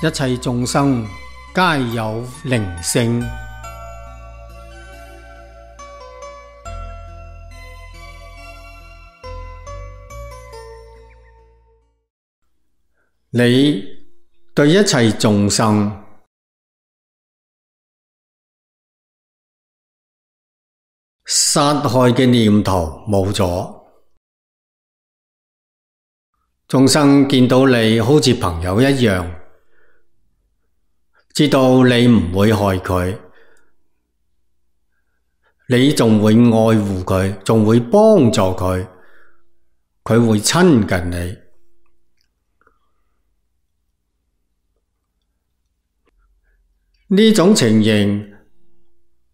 一切眾生皆有靈性。你對一切眾生殺害嘅念頭冇咗，眾生見到你好似朋友一樣，知道你唔會害佢，你仲會愛護佢，仲會幫助佢，佢會親近你。呢種情形，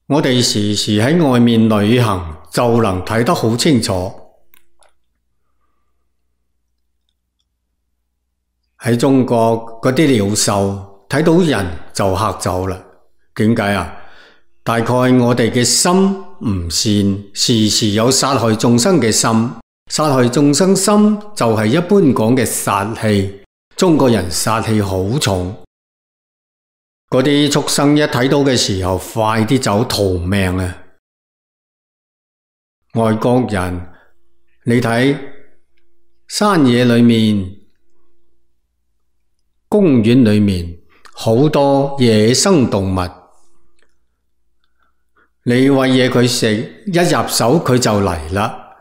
我哋時時喺外面旅行就能睇得好清楚。喺中國嗰啲鳥獸睇到人就嚇走啦。點解啊？大概我哋嘅心唔善，時時有殺害眾生嘅心。殺害眾生心就係一般講嘅殺氣。中國人殺氣好重。嗰啲畜生一睇到嘅時候，快啲走逃命啊！外國人，你睇山野裏面、公園裏面好多野生動物，你餵嘢佢食，一入手佢就嚟啦。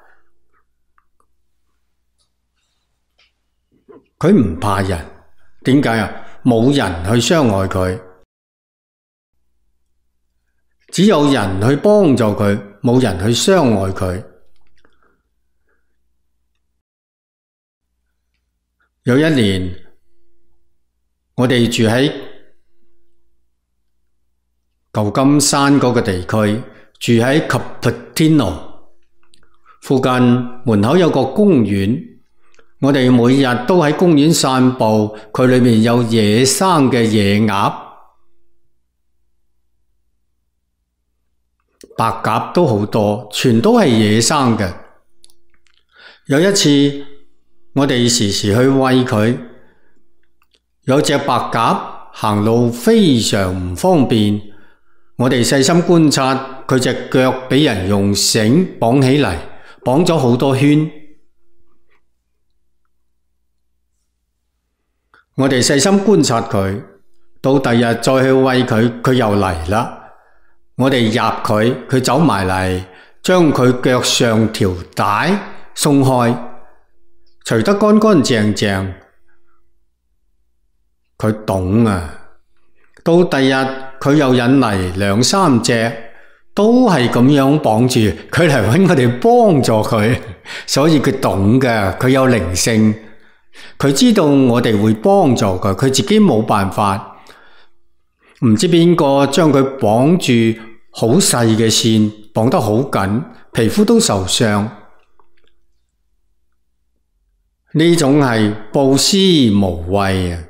佢唔怕人，點解啊？冇人去傷害佢。只有人去幫助佢，冇人去傷害佢。有一年，我哋住喺舊金山嗰個地區，住喺 Cupertino 附近，門口有個公園。我哋每日都喺公園散步，佢裏面有野生嘅野鴨。白鴿都好多，全都係野生嘅。有一次，我哋時時去餵佢，有隻白鴿行路非常唔方便，我哋細心觀察，佢隻腳俾人用繩綁起嚟，綁咗好多圈。我哋細心觀察佢，到第日再去餵佢，佢又嚟啦。我哋入佢，佢走埋嚟，將佢腳上條帶鬆開，除得乾乾淨淨。佢懂啊！到第日佢又引嚟兩三隻，都係咁樣綁住，佢嚟搵我哋幫助佢，所以佢懂㗎，佢有靈性，佢知道我哋會幫助佢，佢自己冇辦法。唔知邊個將佢綁住好細嘅線，綁得好緊，皮膚都受傷。呢種係布施無畏啊！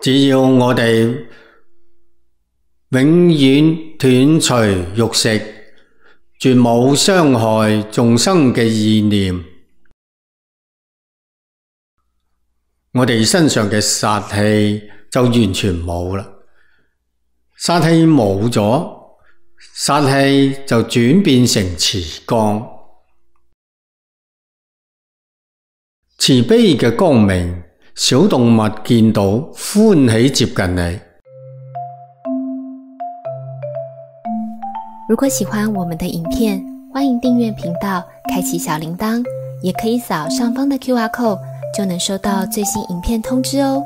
只要我哋永遠斷除肉食，絕冇傷害眾生嘅意念，我哋身上嘅殺氣就完全冇啦。殺氣冇咗，殺氣就轉變成慈光，慈悲嘅光明，小動物見到歡喜接近你。如果喜歡我們的影片，歡迎訂閱頻道，開啟小鈴鐺，也可以掃上方的QR code，就能收到最新影片通知哦。